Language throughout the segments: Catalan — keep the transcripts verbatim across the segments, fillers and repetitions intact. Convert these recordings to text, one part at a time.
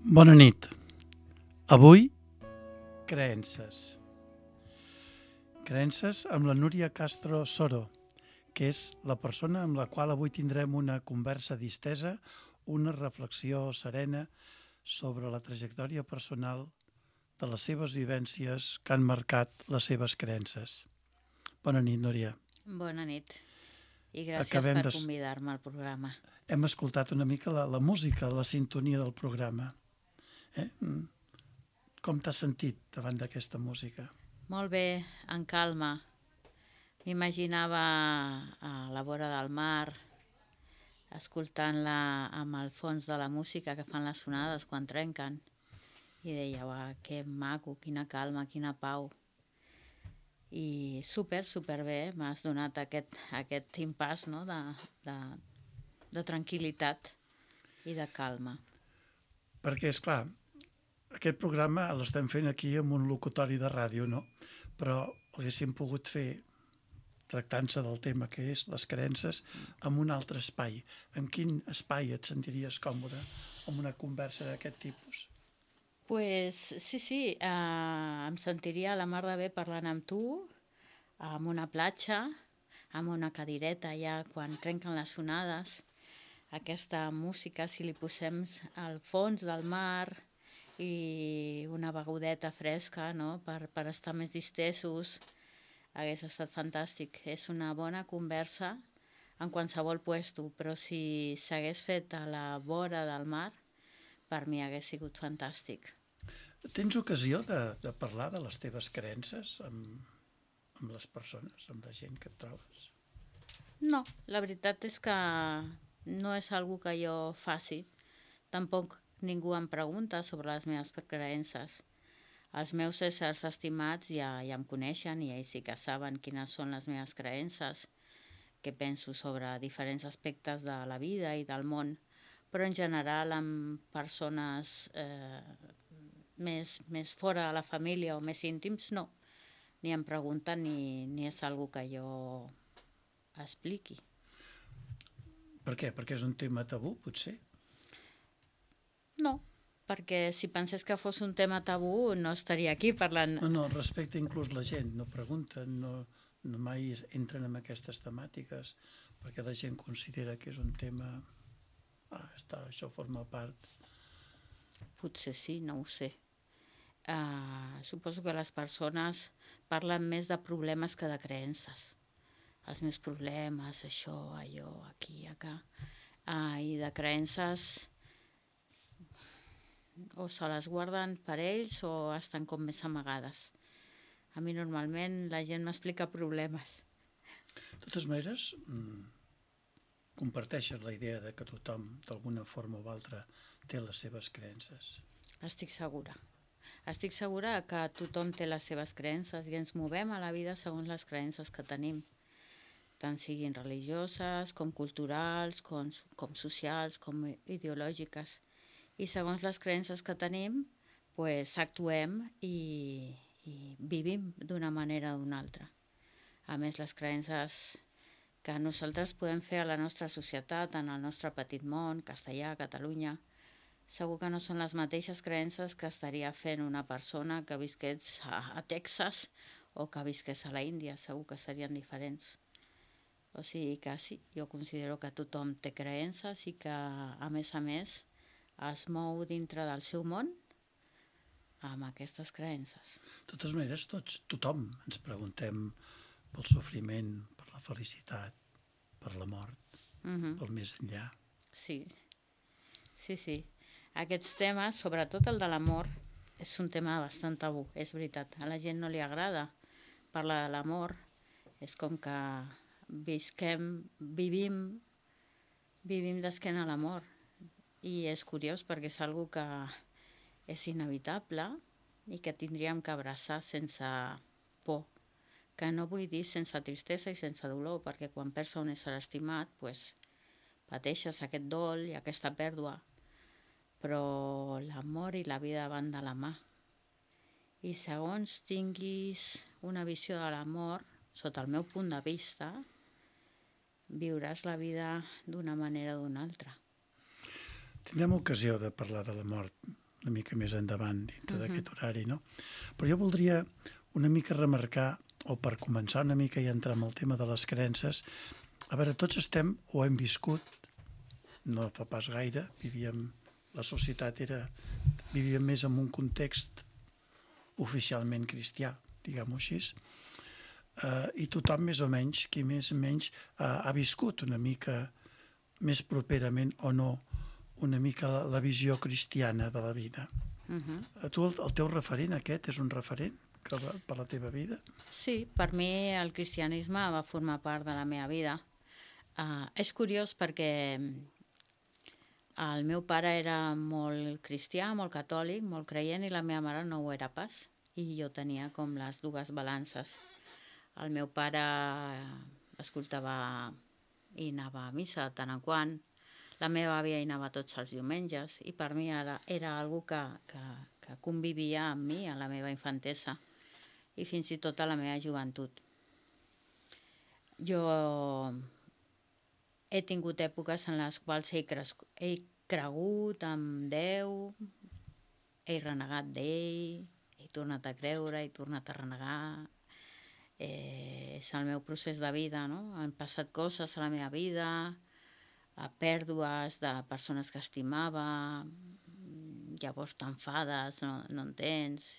Bona nit. Avui, creences. Creences amb la Núria Castro Soro, que és la persona amb la qual avui tindrem una conversa distesa, una reflexió serena sobre la trajectòria personal de les seves vivències que han marcat les seves creences. Bona nit, Núria. Bona nit i gràcies Acabem per de... convidar-me al programa. Hem escoltat una mica la, la música, la sintonia del programa. Eh? Com t'has sentit davant d'aquesta música? Molt bé, en calma. M'imaginava a la vora del mar, escoltant-la amb el fons de la música que fan les sonades quan trenquen. I deia, uah, que maco, quina calma, quina pau. I super, super bé, m'has donat aquest, aquest impàs, no? de, de, de tranquil·litat i de calma. Perquè, és clar, aquest programa l'estem fent aquí amb un locutori de ràdio, no? Però l'haguéssim pogut fer tractant-se del tema que és les creences en un altre espai. En quin espai et sentiries còmode amb una conversa d'aquest tipus? Pues sí, sí, eh, em sentiria a la mar de bé parlant amb tu, amb una platja, amb una cadireta ja quan trenquen les sonades, aquesta música, si li posem al fons del mar i una begudeta fresca, no?, per, per estar més distesos, hagués estat fantàstic. És una bona conversa en qualsevol puesto, però si s'hagués fet a la vora del mar, per mi hagués sigut fantàstic. Tens ocasió de, de parlar de les teves creences amb, amb les persones, amb la gent que et trobes? No, la veritat és que no és algo que jo faci. Tampoc ningú em pregunta sobre les meves creences. Els meus éssers estimats ja, ja em coneixen i ells sí que saben quines són les meves creences, què penso sobre diferents aspectes de la vida i del món, però en general amb persones eh, més, més fora de la família o més íntims, no. Ni em pregunten ni, ni és algo que jo expliqui. Per què? Perquè és un tema tabú, potser? No, perquè si pensés que fos un tema tabú no estaria aquí parlant. No, no, respecte inclús la gent, no pregunten, no, no mai entren en aquestes temàtiques, perquè la gent considera que és un tema... Ah, està, això forma part... Potser sí, no ho sé. Uh, suposo que les persones parlen més de problemes que de creences. Els meus problemes, això, allò, aquí, acá. Uh, I de creences o se les guarden per ells o estan com més amagades. A mi normalment la gent m'explica problemes. De totes maneres, mmm, comparteixes la idea de que tothom, d'alguna forma o altra, té les seves creences? Estic segura. Estic segura que tothom té les seves creences i ens movem a la vida segons les creences que tenim, tant siguin religioses, com culturals, com, com socials, com ideològiques. I segons les creences que tenim, pues, actuem i, i vivim d'una manera o d'una altra. A més, les creences que nosaltres podem fer a la nostra societat, en el nostre petit món, castellà, Catalunya, segur que no són les mateixes creences que estaria fent una persona que visqués a, a Texas o que visqués a la Índia, segur que serien diferents. O sigui que sí, jo considero que tothom té creences i que, a més a més, es mou dintre del seu món amb aquestes creences. De totes maneres, tots, tothom ens preguntem pel sofriment, per la felicitat, per la mort, uh-huh. pel més enllà. Sí, sí, sí. Aquests temes, sobretot el de l'amor, és un tema bastant tabú, és veritat. A la gent no li agrada parlar de l'amor. És com que visquem, vivim, vivim d'esquena a l'amor. I és curiós perquè és algo que és inevitable i que tindríem que abraçar sense por. Que no vull dir sense tristesa i sense dolor, perquè quan perds un ésser estimat, pues, pateixes aquest dol i aquesta pèrdua. Però l'amor i la vida van de la mà. I segons tinguis una visió de l'amor, sota el meu punt de vista, viuràs la vida d'una manera o d'una altra. Tindrem ocasió de parlar de la mort una mica més endavant dintre Mhm. d'aquest horari, no? Però jo voldria una mica remarcar, o per començar una mica i entrar en el tema de les creences, a veure, tots estem o hem viscut, no fa pas gaire, vivíem, la societat era, vivíem més en un context oficialment cristià, diguem-ho així, eh, i tothom més o menys, qui més o menys eh, ha viscut una mica més properament o no una mica la, la visió cristiana de la vida. Mhm. A tu el, el teu referent aquest és un referent que va, per la teva vida? Sí, per mi el cristianisme va formar part de la meva vida. Uh, és curiós perquè el meu pare era molt cristià, molt catòlic, molt creient, i la meva mare no ho era pas. I jo tenia com les dues balances. El meu pare escoltava i anava a missa de tant en quant. La meva àvia hi anava tots els diumenges i per mi era, era algo que, que, que convivia amb mi a la meva infantesa i fins i tot a la meva joventut. Jo he tingut èpoques en les quals he, crescut, he cregut en Déu, he renegat d'ell, he tornat a creure, he tornat a renegar. Eh, és el meu procés de vida, no? Han passat coses a la meva vida, a pèrdues de persones que estimava, llavors t'enfades, no, no entens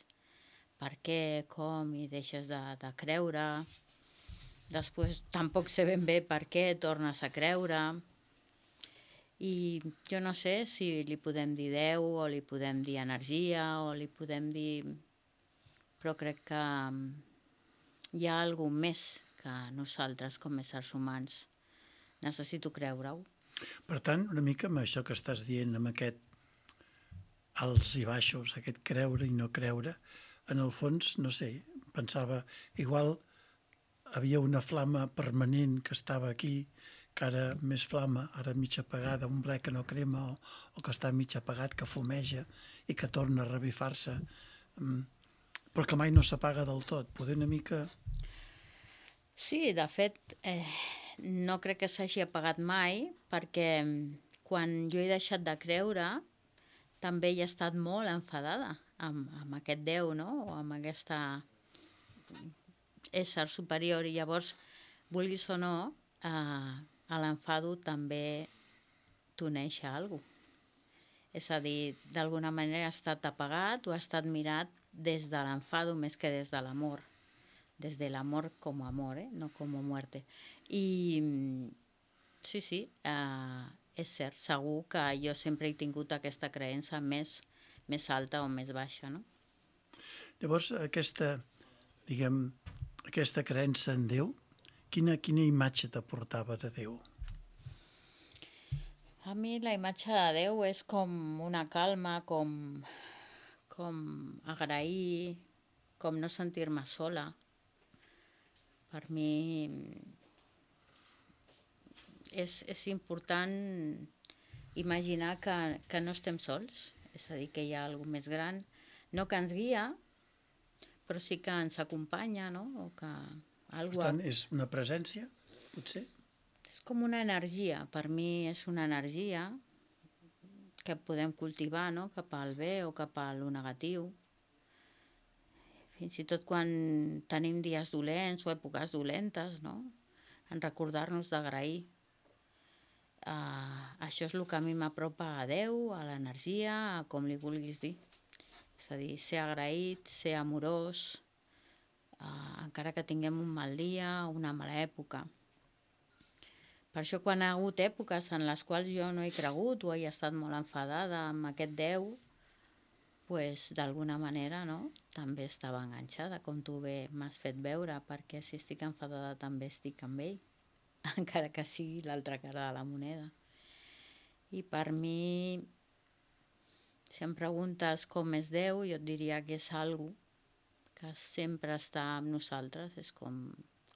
per què, com, i deixes de, de creure. Després tampoc sé ben bé per què tornes a creure. I jo no sé si li podem dir Déu o li podem dir energia o li podem dir... Però crec que hi ha alguna més que nosaltres com a éssers humans. Necessito creure-ho. Per tant, una mica amb això que estàs dient, amb aquest alts i baixos, aquest creure i no creure, en el fons, no sé, pensava, igual havia una flama permanent que estava aquí, que ara més flama, ara mig apagada, un ble que no crema, o, o que està mig apagat, que fumeja i que torna a revifar-se, però que mai no s'apaga del tot. Poder una mica... Sí, de fet, eh, no crec que s'hagi apagat mai, perquè quan jo he deixat de creure, també he estat molt enfadada amb, amb aquest Déu, no? O amb aquesta ésser superior, i llavors, vulguis o no, eh, a l'enfado també t'uneix a alguna cosa. És a dir, d'alguna manera ha estat apagat o ha estat mirat des de l'enfado més que des de l'amor. Des de l'amor com a amor, eh? No com a muerte. I sí, sí, eh, és cert, segur que jo sempre he tingut aquesta creença més, més alta o més baixa, no? Llavors, aquesta, diguem, aquesta creença en Déu, quina, quina imatge t'aportava de Déu? A mi la imatge de Déu és com una calma, com, com agrair, com no sentir-me sola. Per mi és, és important imaginar que, que no estem sols, és a dir, que hi ha alguna més gran, no que ens guia, però sí que ens acompanya, no? O que algú... Per tant, és una presència, potser? És com una energia, per mi és una energia que podem cultivar, no? Cap al bé o cap a lo negatiu. Fins i tot quan tenim dies dolents o èpoques dolentes, no? En recordar-nos d'agrair. Uh, això és el que a mi m'apropa a Déu, a l'energia, a com li vulguis dir. És a dir, ser agraït, ser amorós, uh, encara que tinguem un mal dia o una mala època. Per això quan hi ha hagut èpoques en les quals jo no he cregut o he estat molt enfadada amb aquest Déu, pues, d'alguna manera, no? També estava enganxada, com tu bé m'has fet veure, perquè si estic enfadada també estic amb ell, encara que sigui l'altra cara de la moneda. I per mi, si em preguntes com és Déu, jo et diria que és algo que sempre està amb nosaltres, és com,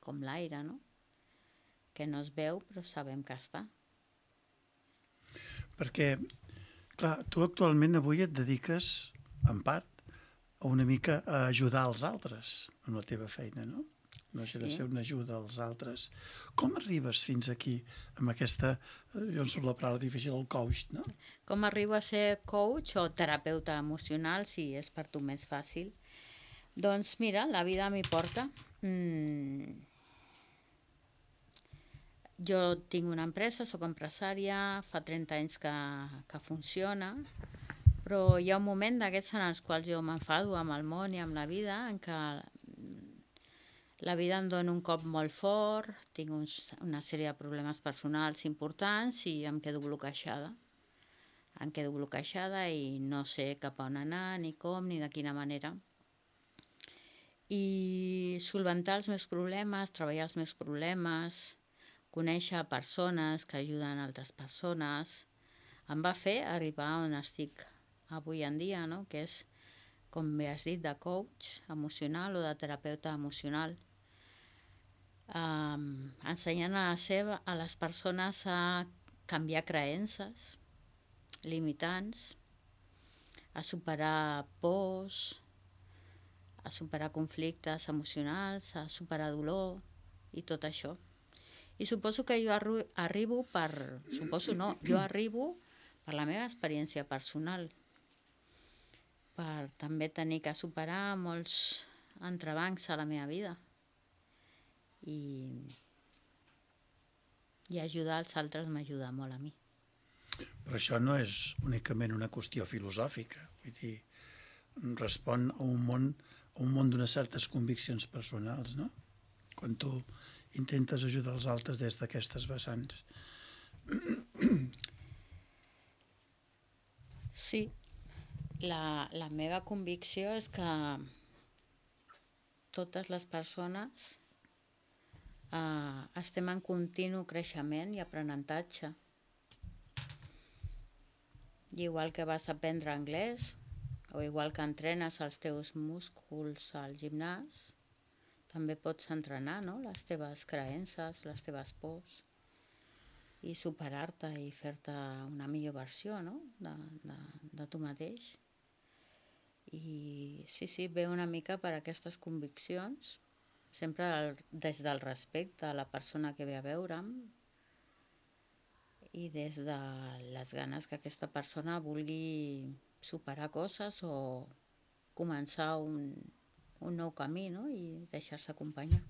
com l'aire, no? Que no es veu, però sabem que està. Perquè, clar, tu actualment avui et dediques, en part, a una mica a ajudar els altres en la teva feina, no? no hagi de Sí. ser una ajuda als altres. Com arribes fins aquí, amb aquesta, eh, jo em surt la paraula difícil, el coach, no? Com arribo a ser coach o terapeuta emocional, si és per tu més fàcil? Doncs mira, la vida m'hi porta. Mm. Jo tinc una empresa, sóc empresària, fa trenta anys que, que funciona, però hi ha un moment d'aquests en els quals jo m'enfado amb el món i amb la vida, en què la vida em dona un cop molt fort, tinc uns, una sèrie de problemes personals importants i em quedo bloquejada. Em quedo bloquejada i no sé cap a on anar, ni com, ni de quina manera. I solventar els meus problemes, treballar els meus problemes, conèixer persones que ajuden altres persones, em va fer arribar on estic avui en dia, no? Que és, com bé has dit, de coach emocional o de terapeuta emocional. Um, ensenyant a, la seva, a les persones a canviar creences limitants, a superar pors, a superar conflictes emocionals, a superar dolor i tot això. I suposo que jo arru- arribo per... Suposo no, jo arribo per la meva experiència personal, per també tenir que superar molts entrebancs a la meva vida i, i ajudar els altres m'ajuda molt a mi. Però això no és únicament una qüestió filosòfica, vull dir, respon a un món, a un món d'unes certes conviccions personals, no? Quan tu intentes ajudar els altres des d'aquestes vessants. Sí, la, la meva convicció és que totes les persones eh, estem en continu creixement i aprenentatge. I igual que vas aprendre anglès, o igual que entrenes els teus músculs al gimnàs, també pots entrenar, no?, les teves creences, les teves pors, i superar-te i fer-te una millor versió, no?, de, de, de tu mateix. I sí, sí, ve una mica per aquestes conviccions, sempre el, des del respecte a la persona que ve a veure'm i des de les ganes que aquesta persona vulgui superar coses o començar un, un nou camí, no?, i deixar-se acompanyar.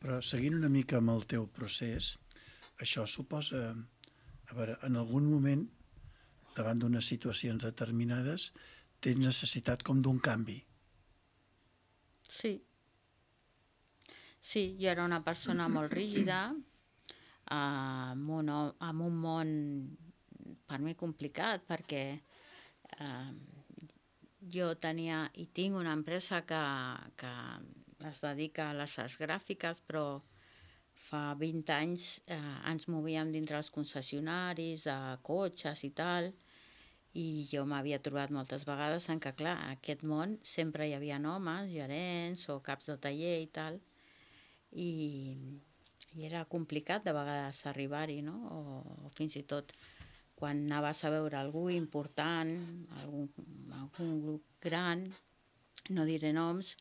Però seguint una mica amb el teu procés, això suposa, a veure, en algun moment, davant d'unes situacions determinades, tens necessitat com d'un canvi. Sí. Sí, jo era una persona molt rígida, amb un, amb un món per mi complicat, perquè eh, jo tenia i tinc una empresa que, que es dedica a les arts gràfiques, però fa vint anys eh, ens movíem dintre els concessionaris, a cotxes i tal, i jo m'havia trobat moltes vegades en què, clar, en aquest món sempre hi havia homes, gerents o caps de taller i tal, i, i era complicat de vegades arribar-hi, no? O, o fins i tot quan anaves a veure algú important, algun, algun grup gran, no diré noms,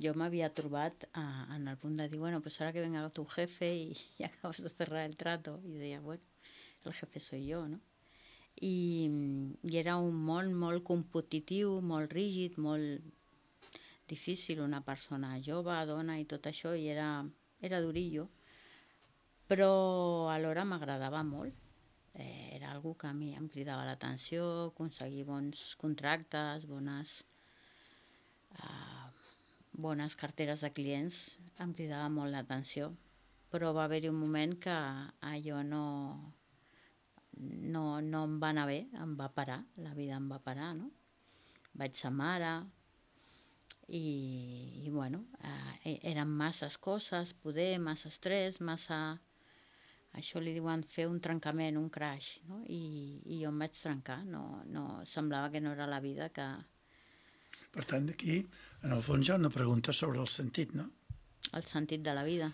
jo m'havia trobat eh, en el punt de dir, bueno, pues ahora que venga tu jefe y, y acabas de cerrar el trato. I deia, bueno, el jefe soy yo, no? I, i era un món molt competitiu, molt rígid, molt difícil, una persona jove, dona i tot això, i era, era durillo, però alhora m'agradava molt. Eh, era algo que a mi em cridava l'atenció, aconseguir bons contractes, bones, eh, bones carteres de clients, em cridava molt l'atenció, però va haver-hi un moment que allò no, no, no em va anar bé, em va parar, la vida em va parar, no? Vaig ser mare i, i bueno, eh, eren masses coses, poder, massa estrès, massa... Això li diuen fer un trencament, un crash, no? I, i jo em vaig trencar, no, no, semblava que no era la vida que... Per tant, aquí, en el fons, hi ha una pregunta sobre el sentit, no? El sentit de la vida.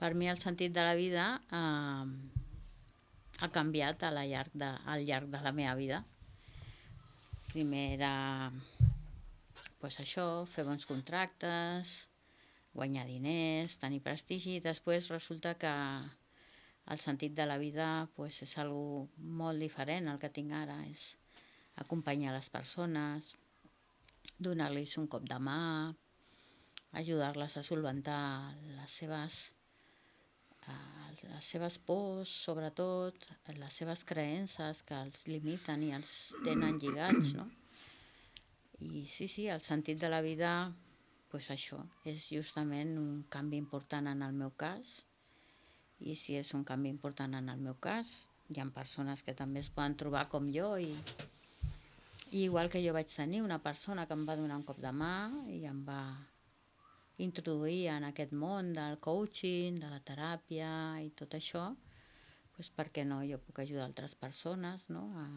Per mi el sentit de la vida eh, ha canviat a la llarg de, al llarg de la meva vida. Primer era pues això, fer bons contractes, guanyar diners, tenir prestigi, i després resulta que el sentit de la vida pues, és algo molt diferent al que tinc ara, és acompanyar les persones, donar-los un cop de mà, ajudar-les a solventar les seves, eh, les seves pors, sobretot, les seves creences que els limiten i els tenen lligats, no? I sí, sí, el sentit de la vida, pues això, és justament un canvi important en el meu cas, i si és un canvi important en el meu cas, hi ha persones que també es poden trobar com jo, i, i igual que jo vaig tenir una persona que em va donar un cop de mà i em va introduir en aquest món del coaching, de la teràpia i tot això, doncs per què no? Jo puc ajudar altres persones, no? A,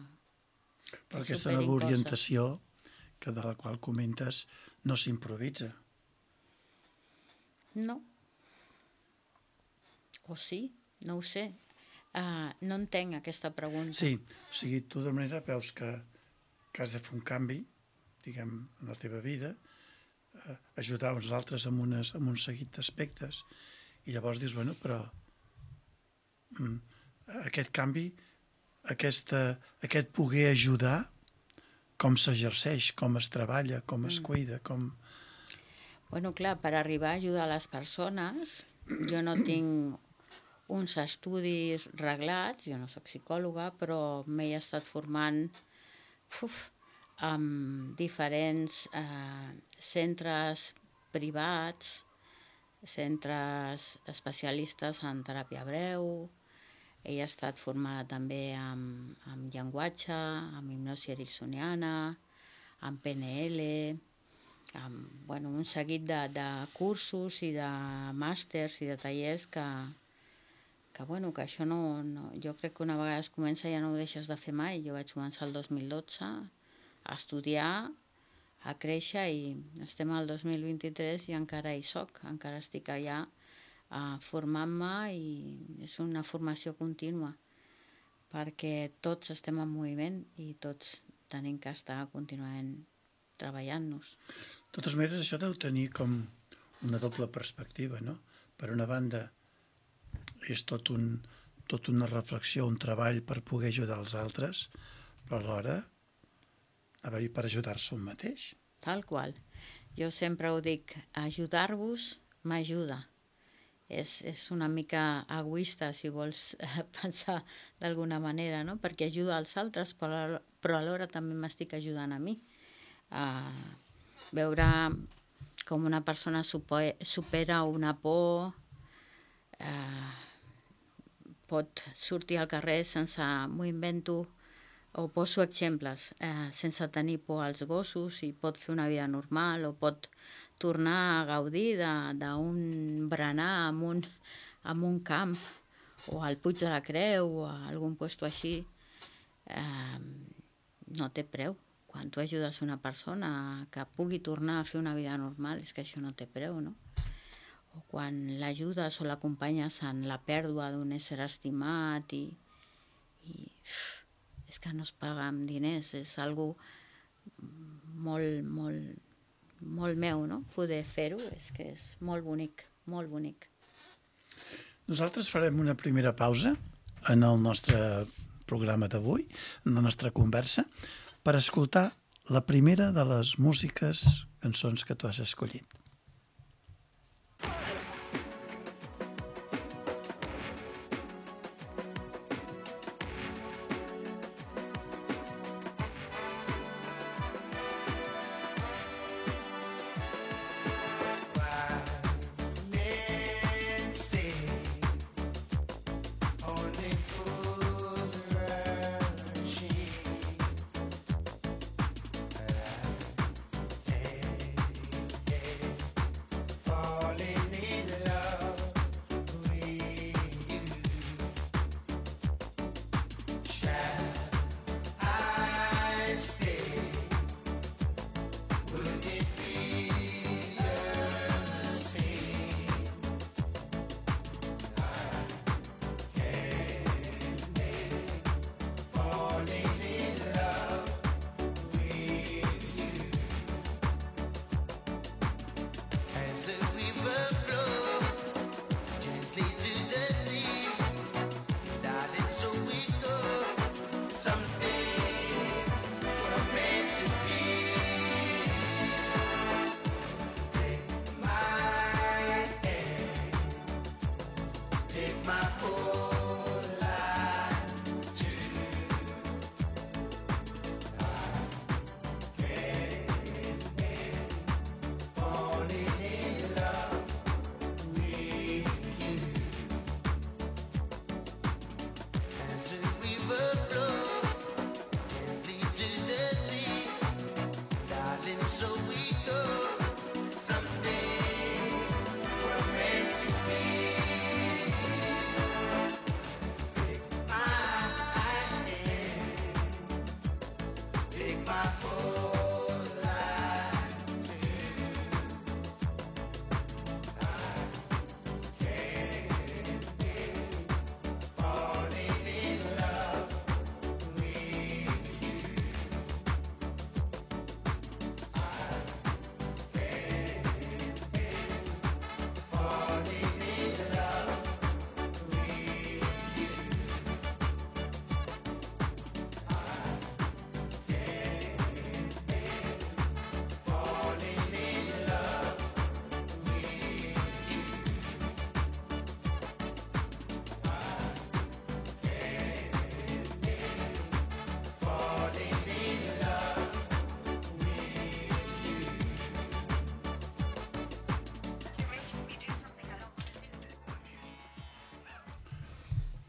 Però aquesta nova orientació que de la qual comentes no s'improvisa. No. O sí, no ho sé. Uh, no entenc aquesta pregunta. Sí, o sigui, tu de manera veus que, que has de fer un canvi, diguem, en la teva vida, uh, ajudar uns altres amb, unes, amb un seguit d'aspectes, i llavors dius, bueno, però mm, aquest canvi, aquesta, aquest poder ajudar, com s'exerceix, com es treballa, com es cuida, com... Bueno, clar, per arribar a ajudar les persones, jo no tinc uns estudis reglats, jo no soc psicòloga, però m'he estat formant uf, amb diferents eh, centres privats, centres especialistes en teràpia breu, he estat formada també amb, amb llenguatge, amb hipnosi ericksoniana, amb P N L, amb bueno, un seguit de, de cursos i de màsters i de tallers que, que, bueno, que això no, no... Jo crec que una vegada es comença ja no ho deixes de fer mai. Jo vaig començar el dos mil dotze a estudiar, a créixer, i estem al dos mil vint-i-tres i encara hi soc, encara estic allà Uh, formant-me, i és una formació contínua perquè tots estem en moviment i tots tenim que estar contínuament treballant-nos. De totes maneres, això deu tenir com una doble perspectiva, no? Per una banda, és tot, un, tot una reflexió, un treball per poder ajudar els altres, però alhora per ajudar-se un mateix. Tal qual. Jo sempre ho dic, ajudar-vos m'ajuda. És, és una mica egoista, si vols eh, pensar d'alguna manera, no? Perquè ajuda als altres, però, però alhora també m'estic ajudant a mi. A veure com una persona supera una por, eh, pot sortir al carrer sense, m'ho invento, o poso exemples, eh, sense tenir por als gossos, i pot fer una vida normal, o pot tornar a gaudir d'un berenar en un, en un camp, o al Puig de la Creu, o a algun lloc així, eh, no té preu. Quan tu ajudes una persona que pugui tornar a fer una vida normal, és que això no té preu, no? O quan l'ajudes o l'acompanyes en la pèrdua d'un ésser estimat, i, i és que no es paga amb diners, és algo molt, molt, molt meu, no? Poder fer-ho, és que és molt bonic, molt bonic. Nosaltres farem una primera pausa en el nostre programa d'avui, en la nostra conversa, per escoltar la primera de les músiques, cançons que tu has escollit.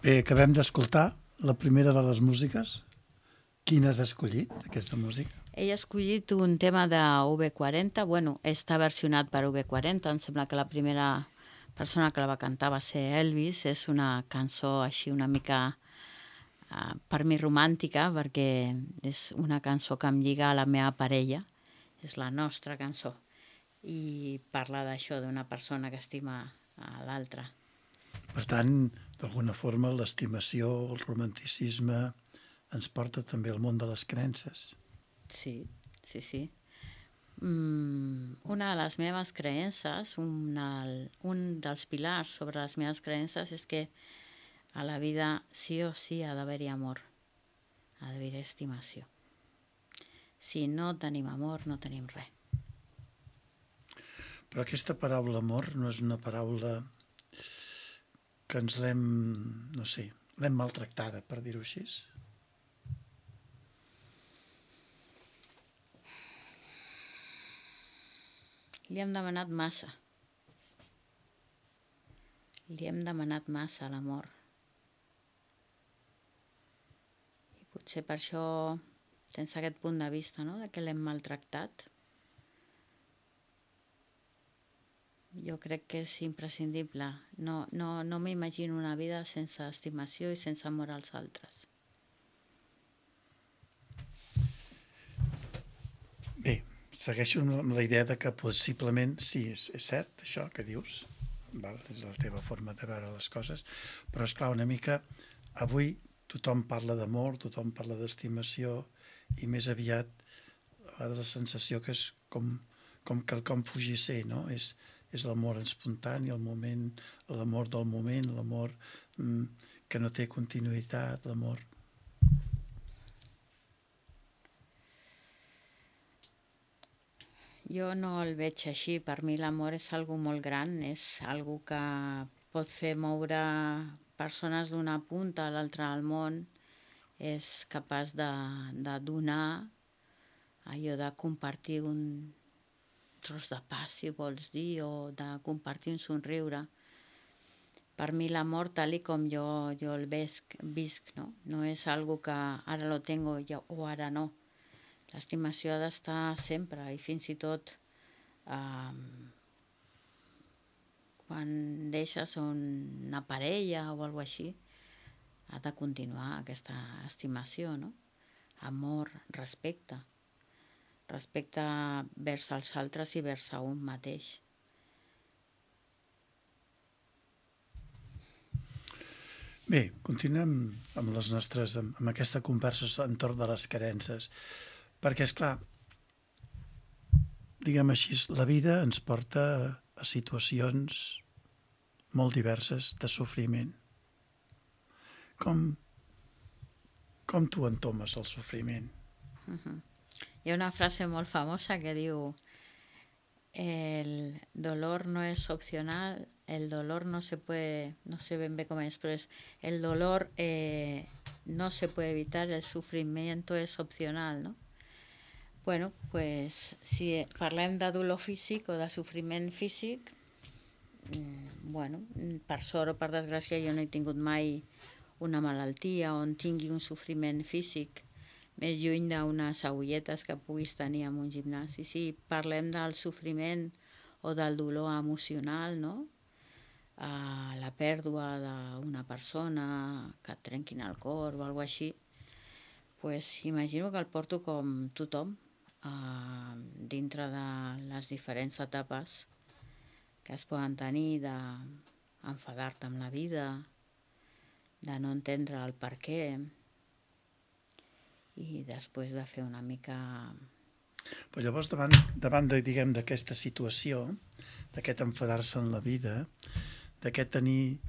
Bé, acabem d'escoltar la primera de les músiques. Quina has escollit, aquesta música? Ell ha escollit un tema de U B quaranta, bueno, està versionat per U B quaranta, em sembla que la primera persona que la va cantar va ser Elvis, és una cançó així una mica, uh, per mi romàntica, perquè és una cançó que em lliga a la meva parella, és la nostra cançó, i parla d'això, d'una persona que estima a l'altra. Per tant, d'alguna forma, l'estimació, el romanticisme, ens porta també al món de les creences. Sí, sí, sí. Mm, una de les meves creences, una, un dels pilars sobre les meves creences és que a la vida sí o sí ha d'haver-hi amor, ha d'haver-hi estimació. Si no tenim amor, no tenim res. Però aquesta paraula amor no és una paraula que ens l'hem, no sé, l'hem maltractada, per dir-ho així. Li hem demanat massa. Li hem demanat massa a l'amor. I potser per això tens aquest punt de vista, no?, de que l'hem maltractat. Jo crec que és imprescindible. No, no, no m'imagino una vida sense estimació i sense amor als altres. Bé, segueixo amb la idea de que possiblement, sí, és, és cert això que dius, val? És la teva forma de veure les coses, però és clar, una mica, avui tothom parla d'amor, tothom parla d'estimació, i més aviat, a vegades la sensació que és com, com quelcom fugisser, no? És, és l'amor espontani, el moment, l'amor del moment, l'amor mm, que no té continuïtat, l'amor... Jo no el veig així. Per mi l'amor és algo molt gran, és algo que pot fer moure persones d'una punta a l'altra del món, és capaç de, de donar allò de compartir un tros de pa, si vols dir, o de compartir un somriure. Per mi l'amor, tal i com jo, jo el visc, visc, no? No és algo que ara lo tengo jo, o ara no. L'estimació ha d'estar sempre, i fins i tot eh, quan deixes una parella o alguna cosa així, ha de continuar aquesta estimació, no? Amor, respecte. Respecte vers els altres i vers a un mateix. Bé, continuem amb les nostres, amb, amb aquesta conversa entorn de les creences, perquè, és clar, diguem així, la vida ens porta a situacions molt diverses de sofriment. Com, com tu entomes el sofriment? Uh-huh. Hi ha una frase molt famosa que diu: el dolor no es opcional, el dolor no se puede, no sé ben bé com és, però és el dolor eh, no se puede evitar, el sufrimiento es opcional, no? Bueno, pues si parlem de dolor físic o de sofriment físic, bueno, per sort o per desgràcia jo no he tingut mai una malaltia on tingui un sofriment físic més lluny d'unes agulletes que puguis tenir en un gimnàs. I si parlem del sofriment o del dolor emocional, no? Uh, la pèrdua d'una persona, que et trenquin el cor o alguna cosa així, pues, imagino que el porto com tothom, eh, dintre de les diferents etapes que es poden tenir, d'enfadar-te amb la vida, de no entendre el per què, i després de fer una mica... Però llavors, davant, davant de, diguem, d'aquesta situació, d'aquest enfadar-se en la vida, d'aquest tenir,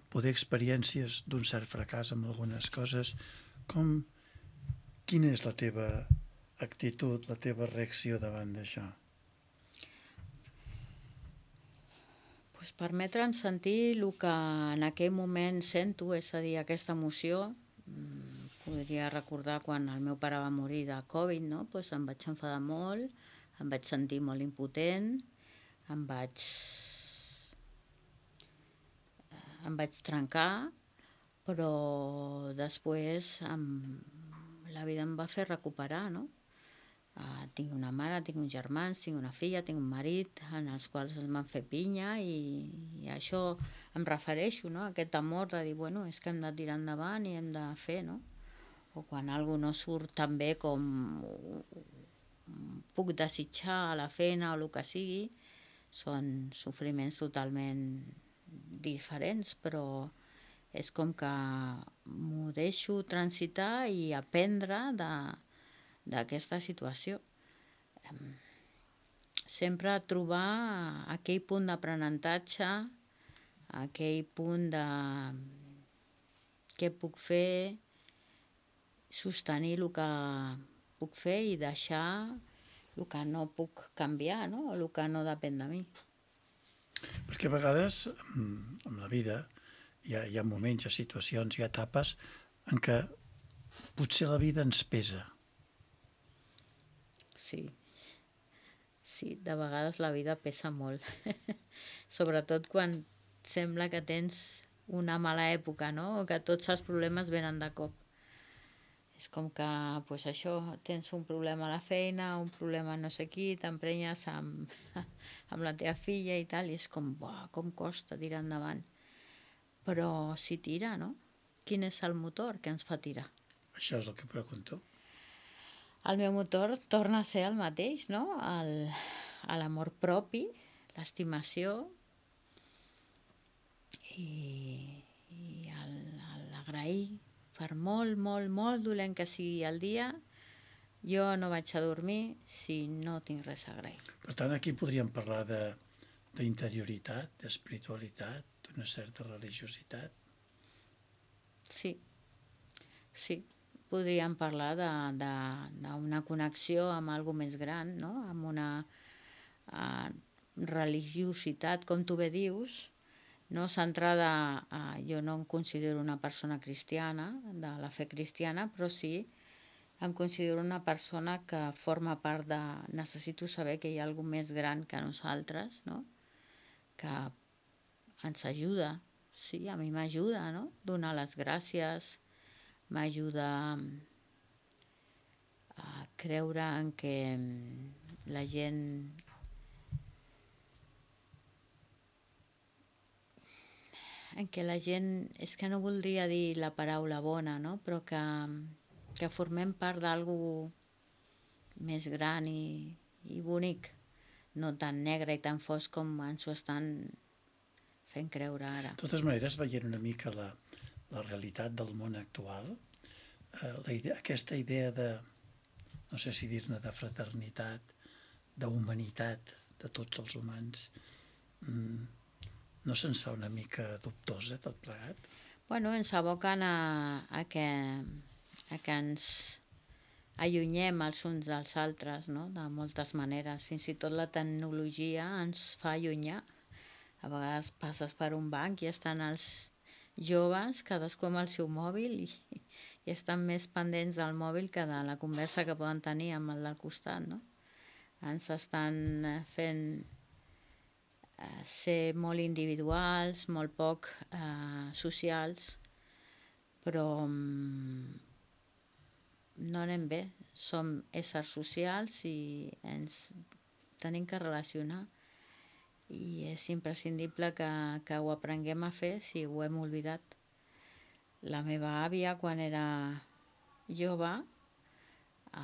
poder experiències d'un cert fracàs amb algunes coses, com, quina és la teva actitud, la teva reacció davant d'això? Pues permetre'ns sentir el que en aquell moment sento, és a dir, aquesta emoció. Podria recordar quan el meu pare va morir de Covid, no? Pues em vaig enfadar molt, em vaig sentir molt impotent, em vaig... em vaig trencar, però després em... la vida em va fer recuperar, no? Uh, tinc una mare, tinc uns germans, tinc una filla, tinc un marit, en els quals em van fer pinya, i, i això em refereixo, no? Aquest amor de dir, bueno, és que hem de tirar endavant i hem de fer, no? O quan alguna cosa no surt tan bé com puc desitjar a la feina o el que sigui, són sofriments totalment diferents, però és com que m'ho deixo transitar i aprendre d'aquesta situació. Sempre trobar aquell punt d'aprenentatge, aquell punt de què puc fer, sostenir el que puc fer i deixar el que no puc canviar, no? O el que no depèn de mi. Perquè a vegades, en la vida, hi ha, hi ha moments, hi ha situacions, hi ha etapes en què potser la vida ens pesa. Sí. Sí, de vegades la vida pesa molt. Sobretot quan sembla que tens una mala època, no? O que tots els problemes venen de cop. És com que, pues això, tens un problema a la feina, un problema no sé qui, t'emprenyes amb, amb la teva filla i tal, i és com, buah, com costa tirar endavant. Però si tira, no? Quin és el motor que ens fa tirar? Això és el que pregunto. El meu motor torna a ser el mateix, no? El, l'amor propi, l'estimació i, i l'agrair. Per molt, molt, molt dolent que sigui el dia, jo no vaig a dormir si no tinc res a agrair. Per tant, aquí podríem parlar de, d'interioritat, d'espiritualitat, d'una certa religiositat. Sí, sí. Podríem parlar d'una connexió amb algo més gran, no? Amb una uh, religiositat, com tu bé dius, no centrada, uh, jo no em considero una persona cristiana, de la fe cristiana, però sí em considero una persona que forma part de... Necessito saber que hi ha alguna més gran que nosaltres, no? Que ens ajuda, sí, a mi m'ajuda, no? Donar les gràcies, m'ajuda a creure en que la gent... en què la gent, és que no voldria dir la paraula bona, no? Però que, que formem part d'algú més gran i, i bonic, no tan negre i tan fosc com ens ho estan fent creure ara. De totes maneres, veient una mica la, la realitat del món actual, eh, la idea, aquesta idea de, no sé si dir-ne, de fraternitat, d'humanitat de tots els humans, mm, no se'ns fa una mica dubtosa tot plegat? Bueno, ens aboquen a, a, que, a que ens allunyem els uns dels altres, no? De moltes maneres. Fins i tot la tecnologia ens fa allunyar. A vegades passes per un banc i estan els joves, cadascú amb el seu mòbil, i, i estan més pendents del mòbil que de la conversa que poden tenir amb el del costat, no? Ens estan fent ser molt individuals, molt poc eh, socials, però mm, no anem bé. Som éssers socials i ens tenim que relacionar, i és imprescindible que, que ho aprenguem a fer si ho hem oblidat. La meva àvia, quan era jove, a,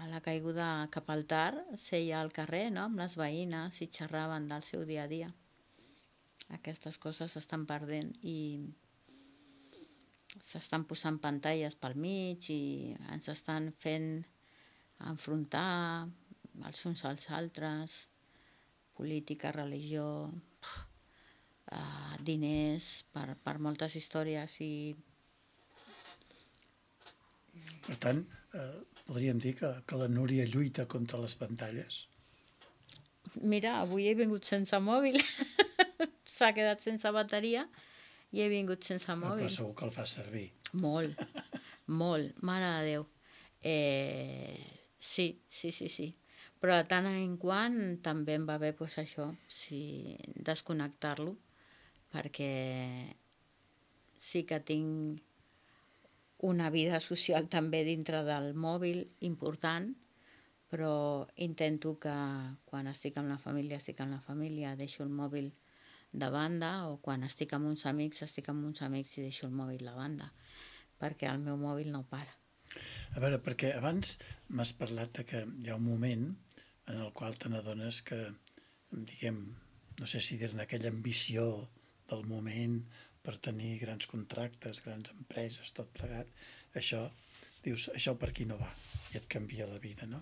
a la caiguda cap al tard, seia al carrer, no?, amb les veïnes i xerraven del seu dia a dia. Aquestes coses s'estan perdent i s'estan posant pantalles pel mig i ens estan fent enfrontar els uns als altres, política, religió, uh, diners, per, per moltes històries i... Per tant, eh, podríem dir que, que la Núria lluita contra les pantalles? Mira, avui he vingut sense mòbil, s'ha quedat sense bateria i he vingut sense mòbil. Però segur que el fa servir. Molt, molt, mare de Déu. Eh, sí, sí, sí, sí. Però de tant en quant també em va bé pues, això, sí, desconnectar-lo, perquè sí que tinc una vida social també dintre del mòbil important, però intento que quan estic amb la família, estic amb la família, deixo el mòbil de banda, o quan estic amb uns amics, estic amb uns amics i deixo el mòbil de banda, perquè el meu mòbil no para. A veure, perquè abans m'has parlat de que hi ha un moment en el qual te n'adones que, diguem, no sé si dir-ne aquella ambició del moment per tenir grans contractes, grans empreses, tot plegat, això, dius, això per aquí no va, i et canvia la vida, no?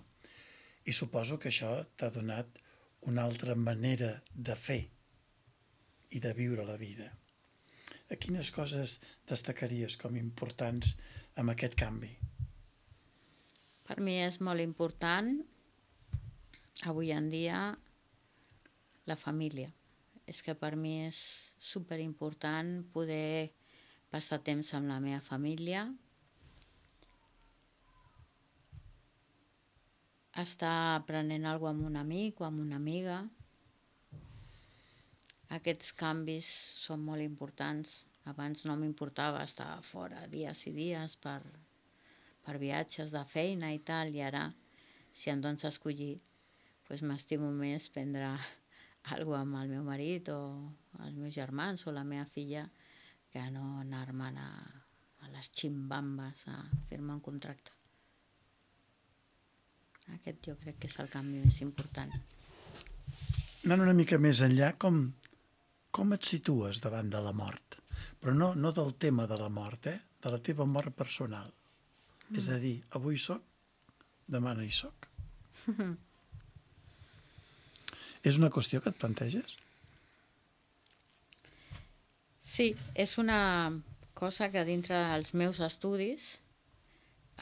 I suposo que això t'ha donat una altra manera de fer i de viure la vida. A quines coses destacaries com importants amb aquest canvi? Per mi és molt important, avui en dia, la família. És que per mi és superimportant poder passar temps amb la meva família, estar aprenent alguna cosa amb un amic o amb una amiga. Aquests canvis són molt importants. Abans no m'importava estar fora dies i dies per, per viatges de feina i tal, i ara, si em dones a escollir, doncs m'estimo més prendre alguna cosa amb el meu marit o els meus germans o la meva filla que no anar-me'n a, a les ximbambes a fer-me un contracte. Aquest jo crec que és el canvi més important. Anant una mica més enllà, com, com et situes davant de la mort? Però no, no del tema de la mort, eh? De la teva mort personal. Mm. És a dir, avui soc, demà no hi soc. És una qüestió que et planteges? Sí, és una cosa que dintre dels meus estudis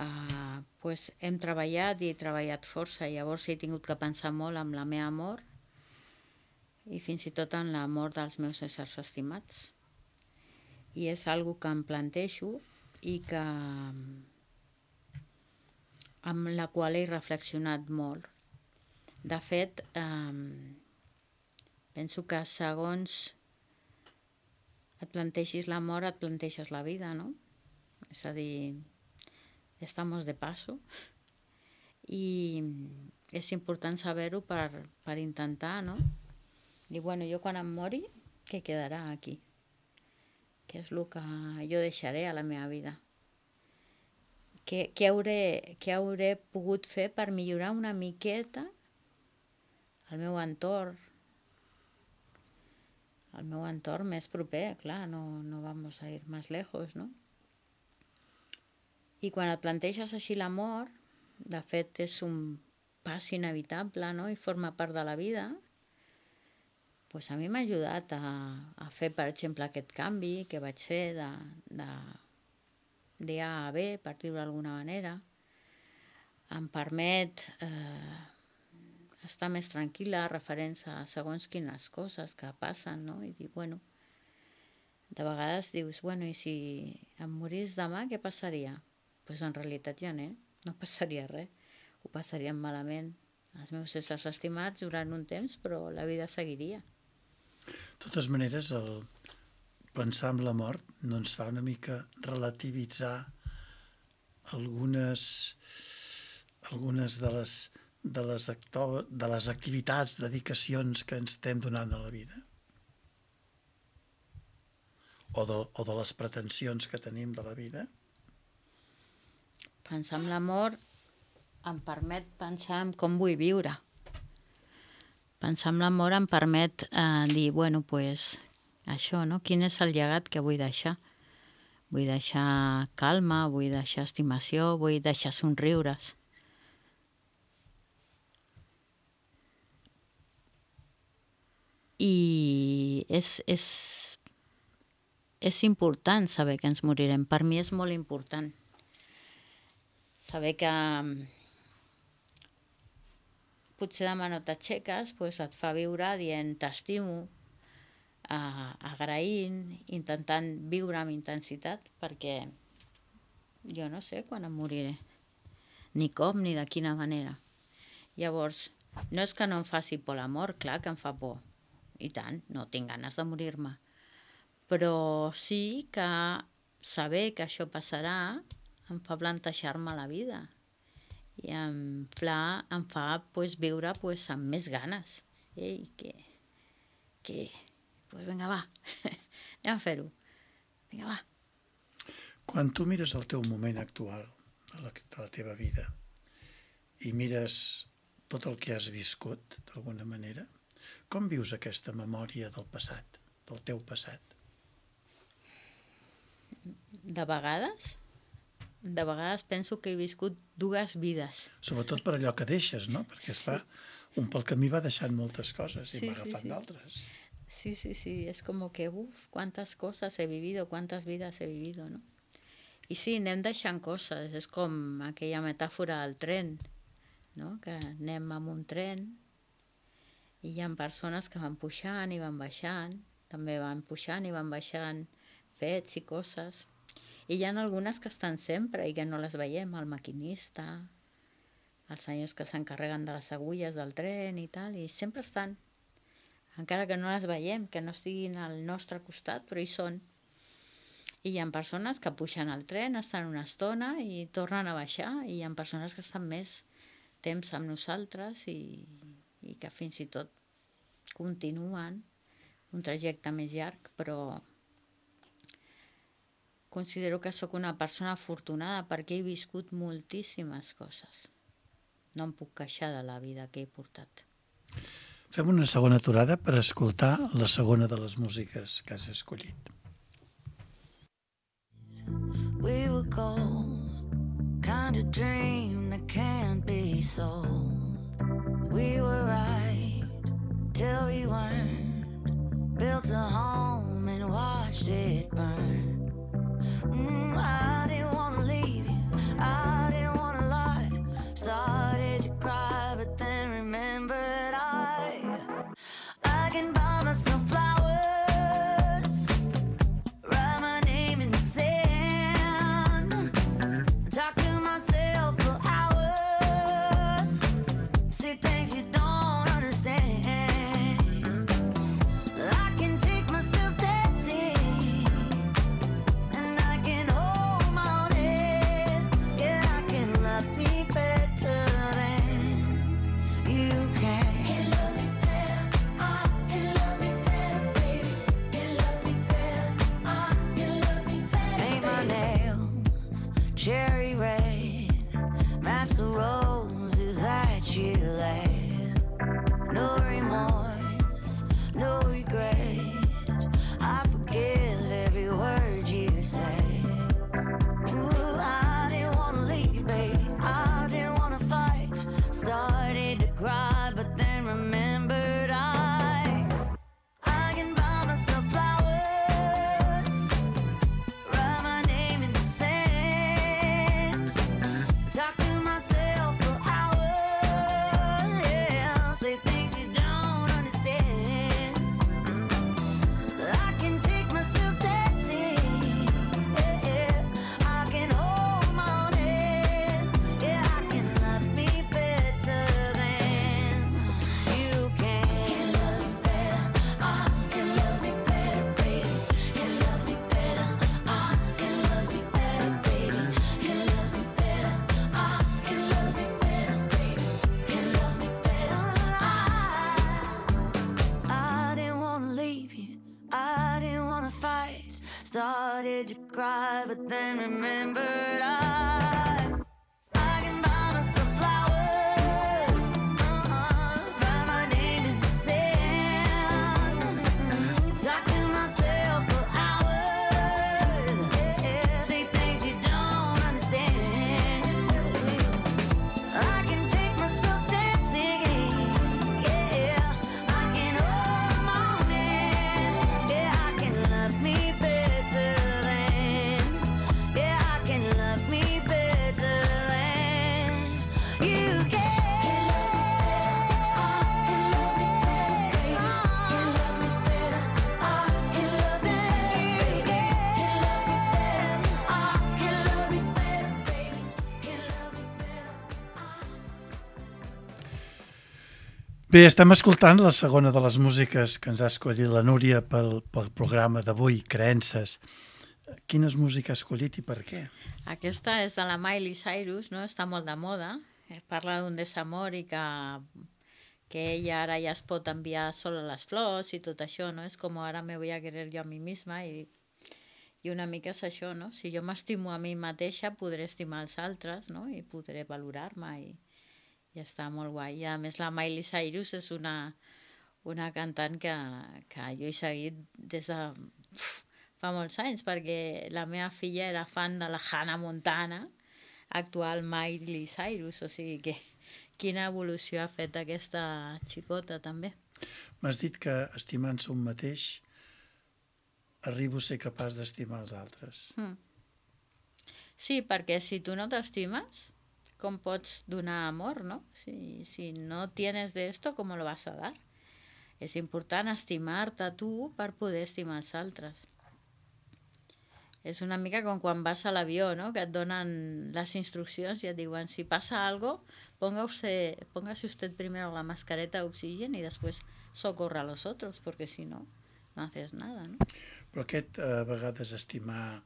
eh, pues hem treballat i he treballat força, i llavors he tingut que pensar molt en la meva mort i fins i tot en la mort dels meus éssers estimats. I és algo que em plantejo i que amb la qual he reflexionat molt. De fet, eh, penso que segons et plantegis la mort, et planteges la vida, no? És a dir, estamos de paso i és important saber-ho per, per intentar, no? Dir, bueno, jo quan em mori, què quedarà aquí? Què és el que jo deixaré a la meva vida? Què, què, hauré, què hauré pogut fer per millorar una miqueta el meu entorn, el meu entorn més proper, clar, no, no vamos a ir más lejos, no? I quan et planteges així la mort, de fet és un pas inevitable, no?, i forma part de la vida, pues a mi m'ha ajudat a, a fer, per exemple, aquest canvi que vaig fer de, de, de A a B, per dir-ho d'alguna manera. Em permet eh, estar més tranquil·la referents a segons quines coses que passen, no? I dir, bueno, de vegades dius, bueno, i si em morís demà, què passaria? Doncs pues en realitat ja no, no passaria res. Ho passaríem malament els meus éssers estimats durant un temps, però la vida seguiria. De totes maneres, el pensar en la mort no ens fa una mica relativitzar algunes, algunes de les, de les, actor, de les activitats, dedicacions que ens estem donant a la vida? O de, o de les pretensions que tenim de la vida? Pensar en l'amor em permet pensar en com vull viure. Pensar en l'amor em permet eh, dir, bueno, pues, això, no? Quin és el llegat que vull deixar? Vull deixar calma, vull deixar estimació, vull deixar somriures. I és, és, és important saber que ens morirem. Per mi és molt important. Saber que potser demà no t'aixeques, pues et fa viure dient t'estimo, Uh, agraint, intentant viure amb intensitat, perquè jo no sé quan em moriré, ni com ni de quina manera. Llavors, no és que no em faci por l'amor, clar que em fa por, i tant, no tinc ganes de morir-me, però sí que saber que això passarà em fa plantejar-me la vida i em fa, em fa pues, viure pues, amb més ganes. Ei, que... que pues vinga, va, anem a fer-ho. Vinga, va. Quan tu mires el teu moment actual de la, de la teva vida i mires tot el que has viscut, d'alguna manera, com vius aquesta memòria del passat, del teu passat? De vegades, de vegades penso que he viscut dues vides. Sobretot per allò que deixes, no? Perquè es fa, un pel camí va deixant moltes coses i sí, va agafant sí, sí. d'altres. Sí, sí, sí, es como que, uff, cuántas cosas he vivido, cuántas vidas he vivido, ¿no? I sí, anem deixant coses, és com aquella metàfora del tren, no? Que anem amb un tren i hi ha persones que van pujant i van baixant, també van pujant i van baixant fets i coses, i hi ha algunes que estan sempre i que no les veiem, el maquinista, els senyors que s'encarreguen de les agulles del tren i tal, i sempre estan, encara que no les veiem, que no estiguin al nostre costat, però hi són. I hi ha persones que pugen al tren, estan una estona i tornen a baixar, i hi ha persones que estan més temps amb nosaltres i, i que fins i tot continuen un trajecte més llarg, però considero que sóc una persona afortunada perquè he viscut moltíssimes coses. No em puc queixar de la vida que he portat. Fem una segona aturada per escoltar la segona de les músiques que has escollit. We were gold, kind of dream that can't be sold. We were right till we weren't, built a home and watched it burn. Mm, I didn't want to leave you, I didn't want to lie, started to cry but then remembered I I can buy myself flowers, write my name in the sand, talk to myself for hours, see things you don't understand. I can take myself dancing, and I can hold my own head. Yeah, I can love me better than you can. Cherry red, match the roses that you laid. No remorse, no regret, I forgive every word you say. Ooh, I didn't want to leave you, baby, I didn't want to fight. Started to cry, but then remembered I I can buy myself flowers, write my name in the sand, talk to myself for hours, yeah, say things you don't understand. I can take myself dancing, yeah, yeah. I can hold my own head, yeah, I can love me better than you can. Can love me better, I can love me better, baby. Can love me better, I can love me better, baby. Can love me better, I can love me better, baby. Can love me better, I I didn't want to leave you, I didn't want to fight. Started to cry, but then remembered I Bé, estem escoltant la segona de les músiques que ens ha escollit la Núria pel, pel programa d'avui, Creences. Quines músiques ha escollit i per què? Aquesta és de la Miley Cyrus, no? Està molt de moda. Eh, Parla d'un desamor i que, que ella ara ja es pot enviar sola les flors i tot això, no? És com ara me voy a querer yo a mi misma i, i una mica és això, no? Si jo m'estimo a mi mateixa, podré estimar els altres, no? I podré valorar-me i, i està molt guai. I a més la Miley Cyrus és una, una cantant que, que jo he seguit des de uf, fa molts anys, perquè la meva filla era fan de la Hannah Montana, actual Miley Cyrus, o sigui que quina evolució ha fet aquesta xicota també. M'has dit que estimant-se un mateix arribo a ser capaç d'estimar els altres. Mm. Sí, perquè si tu no t'estimes, com pots donar amor, no? Si, si no tienes de esto, ¿cómo lo vas a dar? És important estimar-te tu per poder estimar els altres. És una mica com quan vas a l'avió, ¿no? Que et donen les instruccions i et diuen si passa algo, póngase, póngase usted primero la mascareta de oxígeno y después socorra a los otros, porque si no, no haces nada, no? Però aquest, a vegades, estimar,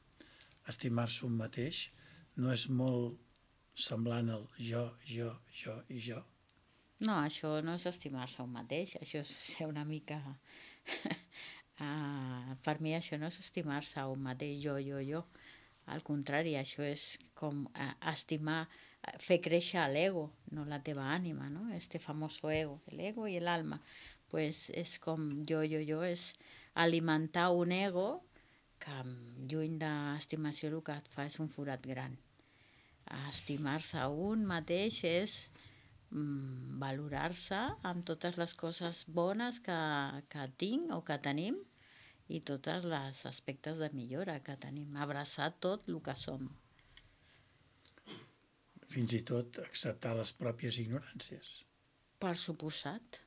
estimar-se un mateix no és molt semblant al jo, jo, jo i jo. No, això no és estimar-se un mateix, això és ser una mica... uh, per mi això no és estimar-se un mateix jo, jo, jo. Al contrari, això és com uh, estimar, uh, fer créixer l'ego, no la teva ànima, no? Este famoso ego, l'ego i l'alma. Pues és com jo, jo, jo, és alimentar un ego que lluny d'estimació el que et fa és un forat gran. Estimar-se un mateix és mm, valorar-se amb totes les coses bones que, que tinc o que tenim i tots els aspectes de millora que tenim. Abraçar tot el que som. Fins i tot acceptar les pròpies ignoràncies. Per suposat.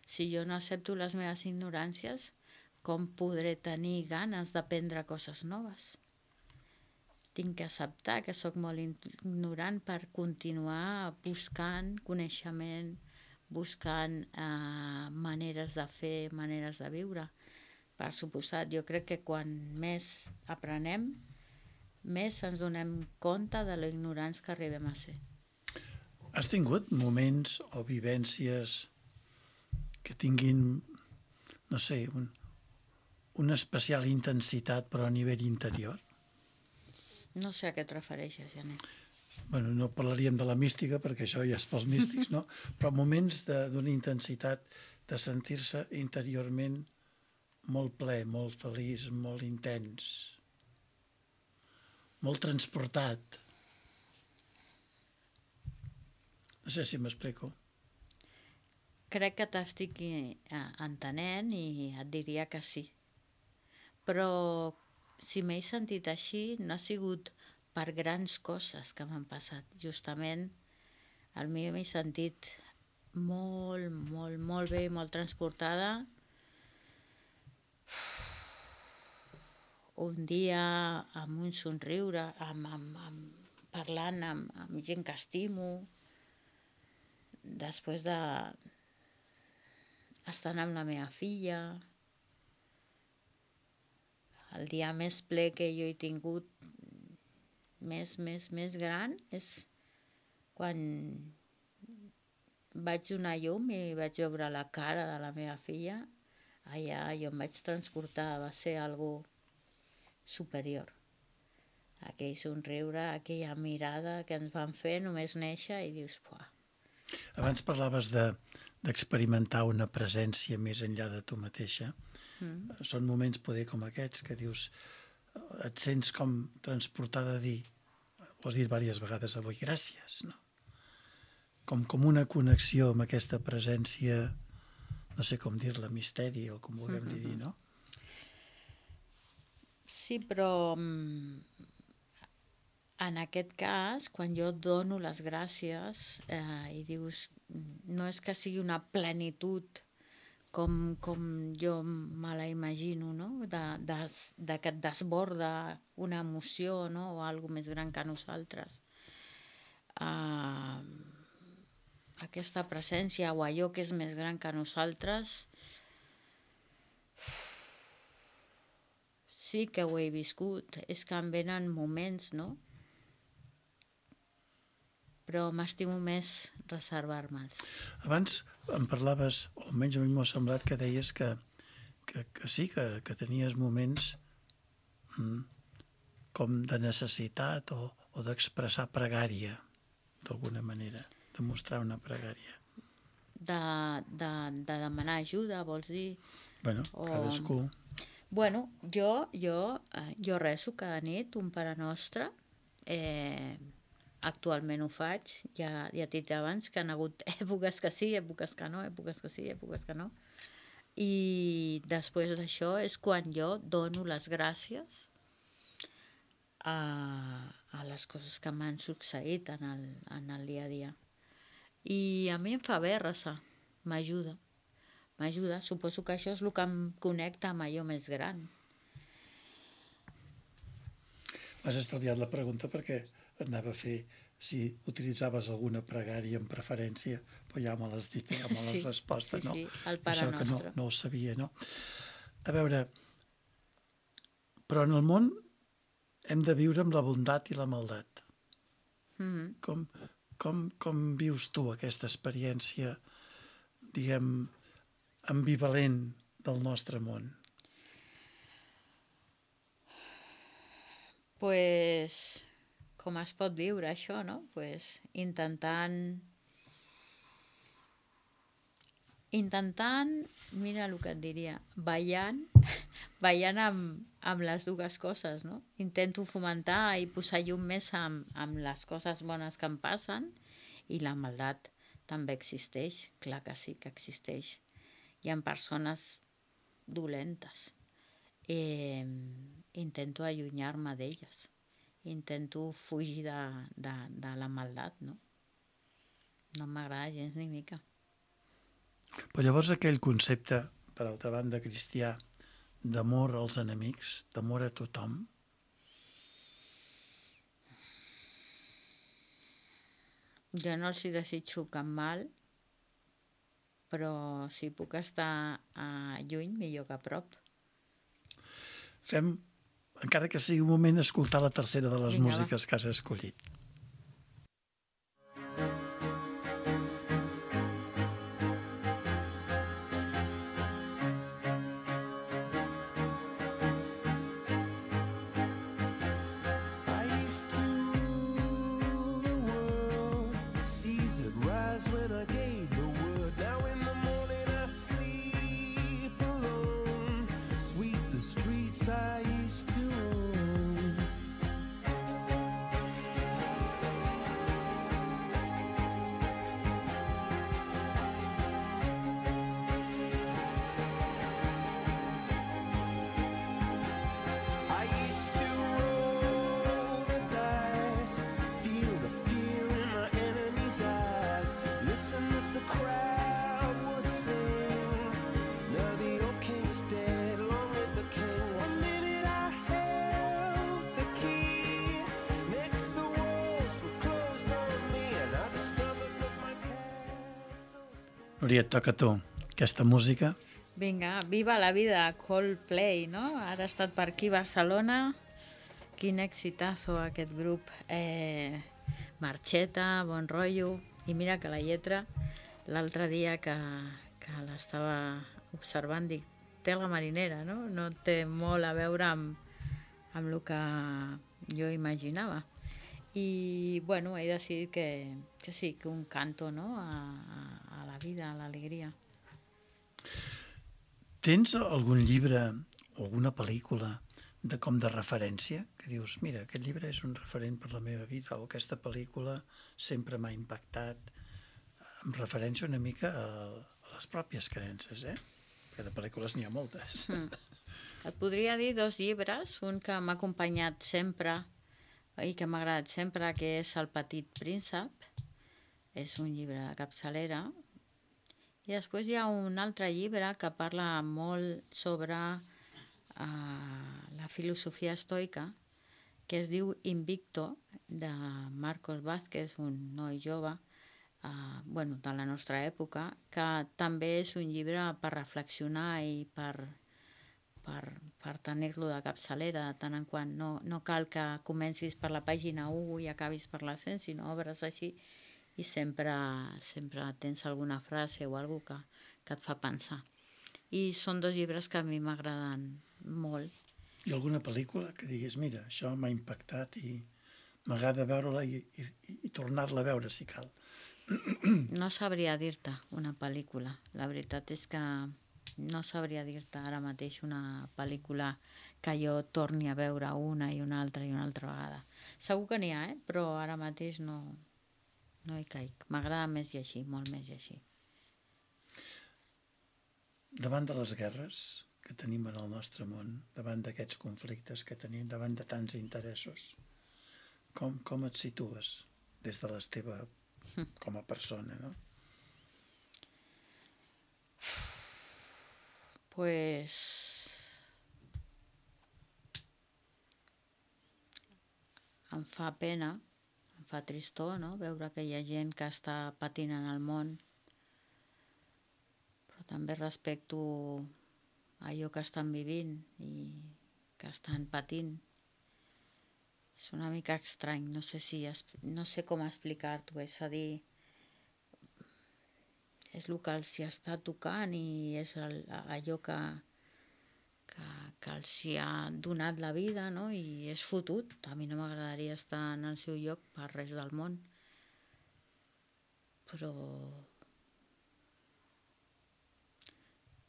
Si jo no accepto les meves ignoràncies, com podré tenir ganes d'aprendre coses noves? Tinc que acceptar que sóc molt ignorant per continuar buscant coneixement, buscant eh, maneres de fer, maneres de viure. Per suposat, jo crec que quan més aprenem, més ens donem compte de lo ignorants que arribem a ser. Has tingut moments o vivències que tinguin, no sé, un, una especial intensitat però a nivell interior? No sé a què et refereixes, Janet. Bueno, no parlaríem de la mística perquè això ja és pels místics, no? Però moments d'una intensitat de sentir-se interiorment molt ple, molt feliç, molt intens, molt transportat. No sé si m'explico. Crec que t'estic entenent i et diria que sí. Però si m'he sentit així, no ha sigut per grans coses que m'han passat. Justament, al mi m'he sentit molt, molt, molt bé, molt transportada. Un dia amb un somriure, amb, amb, amb, parlant amb, amb gent que estimo, després de estant amb la meva filla. El dia més ple que jo he tingut, més, més, més gran, és quan vaig donar llum i vaig veure la cara de la meva filla. Allà jo em vaig transportar, va ser algo superior. Aquell somriure, aquella mirada que ens van fer només néixer i dius, fuà. Abans parlaves de, d'experimentar una presència més enllà de tu mateixa. Mm. Són moments poder com aquests que dius, et sents com transportada a dir, ho has dit diverses vegades avui, gràcies, no? Com, com una connexió amb aquesta presència, no sé com dir-la, misteri o com vulguem mm-hmm. dir, no? Sí, però en aquest cas, quan jo dono les gràcies eh, i dius, no és que sigui una plenitud com, com jo me la imagino, no? De, de, de que et desborda una emoció, no? O alguna més gran que nosaltres. Uh, aquesta presència o allò que és més gran que nosaltres, sí que ho he viscut. És que em venen moments, no? Però m'estimo més reservar-me'ls. Abans em parlaves, o almenys a mi m'ha semblat que deies que, que, que sí, que, que tenies moments mm, com de necessitat o, o d'expressar pregària, d'alguna manera, de mostrar una pregària. De, de, de demanar ajuda, vols dir? Bueno, O- cadascú... Bueno, jo, jo, eh, jo rezo cada nit un Pare Nostre. Eh, actualment ho faig. Ja, ja t'he dit abans que han hagut èpoques que sí, èpoques que no, èpoques que sí, èpoques que no. I després d'això és quan jo dono les gràcies a, a les coses que m'han succeït en el, en el dia a dia. I a mi em fa bé resar, m'ajuda. M'ajuda, suposo que això és el que em connecta amb allò més gran. M'has estalviat la pregunta perquè anava a fer si utilitzaves alguna pregària en preferència, però ja me l'has dit, ja me l'has Sí, resposta, sí, no? sí, el Pare Això que no, Nostre. no ho sabia, no? A veure, però en el món hem de viure amb la bondat i la maldat. Mhm. Com, com, com vius tu aquesta experiència, diguem, ambivalent del nostre món? Pues, com es pot viure això, no? Pues, intentant... Intentant, mira el que et diria, ballant, ballant amb, amb les dues coses, no? Intento fomentar i posar llum més amb, amb les coses bones que em passen, i la maldat també existeix, clar que sí que existeix. Hi ha persones dolentes. Eh, intento allunyar-me d'elles. Intento fugir de, de, de la maldat, no? No m'agrada gens ni mica. Però llavors aquell concepte, per altra banda, cristià, d'amor als enemics, d'amor a tothom, Jo no els hi desitjo cap mal, però si puc estar uh, lluny, millor que a prop. fem, encara que sigui un moment, escoltar la tercera de les Vinga, va. músiques que has escollit. I used to rule the world. Seas would rise when I gave the word. Now in the morning I sleep alone. Sweep the streets I used to own. I used to roll the dice, feel the fear in my enemy's eyes, listen as the crowd would sing. Now the old king is dead, long live the king. One minute I held the key, next the walls were closed on me, and I discovered that my castle stands. Núria, et toca a tu. Aquesta música, Vinga, viva la vida, Coldplay, no? Ara ha estat per aquí, Barcelona. Quin exitazo aquest grup. Eh, marxeta, bon rotllo. I mira que la lletra, l'altre dia que, que l'estava observant, dic, té la marinera, no? No té molt a veure amb, amb el que jo imaginava. I, bueno, he decidit que, que sí, que un canto, no?, a, a, a la vida, a l'alegria. tens algun llibre o alguna pel·lícula de com de referència? Que dius, mira, aquest llibre és un referent per la meva vida, o aquesta pel·lícula sempre m'ha impactat, amb referència una mica a, a les pròpies creences, eh? Perquè de pel·lícules n'hi ha moltes. Mm. Et podria dir dos llibres, un que m'ha acompanyat sempre i que m'ha agradat sempre, que és El petit príncep. És un llibre de capçalera. I després hi ha un altre llibre que parla molt sobre uh, la filosofia estoica, que es diu Invicto, de Marcos Vázquez, un noi jove, uh, bueno, de la nostra època, que també és un llibre per reflexionar i per, per, per tenir-lo de capçalera de tant en quant. No, no cal que comencis per la pàgina u i acabis per la cent, sinó obres així i sempre, sempre tens alguna frase o alguna cosa que, que et fa pensar. I són dos llibres que a mi m'agraden molt. I alguna pel·lícula que diguis, mira, això m'ha impactat i m'agrada veure-la i, i, i tornar-la a veure, si cal. No sabria dir-te una pel·lícula. La veritat és que no sabria dir-te ara mateix una pel·lícula que jo torni a veure una i una altra i una altra vegada. Segur que n'hi ha, eh? Però ara mateix no, no hi caic. M'agrada més llegir, molt més llegir. Davant de les guerres que tenim en el nostre món, davant d'aquests conflictes que tenim, davant de tants interessos, com, com et situes des de la teva com a persona, no? Pues... em fa pena, em fa tristor, no?, veure que hi ha gent que està patint en el món, però també respecto allò que estan vivint i que estan patint. És una mica estrany, no sé, si, no sé com explicar-t'ho, és a dir, és el que els hi està tocant i és el, allò que, que, que els hi ha donat la vida, no? I és fotut. A mi no m'agradaria estar en el seu lloc per res del món. Però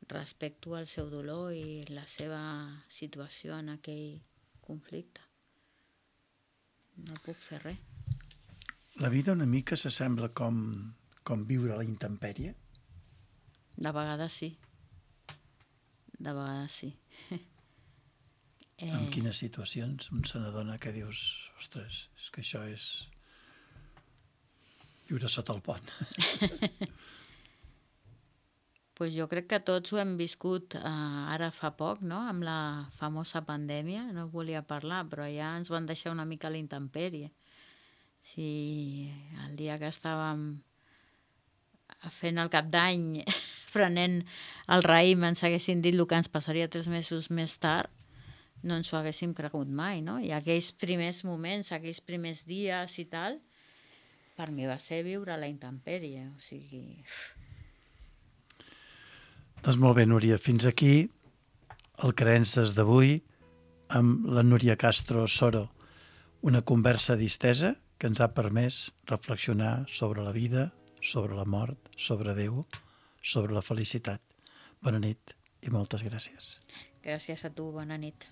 respecto al seu dolor i la seva situació en aquell conflicte. No puc fer res. La vida una mica s'assembla com, com viure a la intempèrie? De vegades sí. De vegades sí. Eh... En quines situacions un se n'adona que dius, ostres, és que això és viure sota el pont? Pues jo crec que tots ho hem viscut eh, ara fa poc, no?, amb la famosa pandèmia. No volia parlar, però ja ens van deixar una mica a la intempèrie. Si el dia que estàvem fent el cap d'any, prenent el raïm, ens haguessin dit el que ens passaria tres mesos més tard, no ens ho haguéssim cregut mai, no? I aquells primers moments, aquells primers dies i tal, per mi va ser viure a la intempèrie, o sigui... Doncs molt bé, Núria, fins aquí el Creences d'avui amb la Núria Castro Soro, una conversa distesa que ens ha permès reflexionar sobre la vida, sobre la mort, sobre Déu, sobre la felicitat. Bona nit i moltes gràcies. Gràcies a tu, bona nit.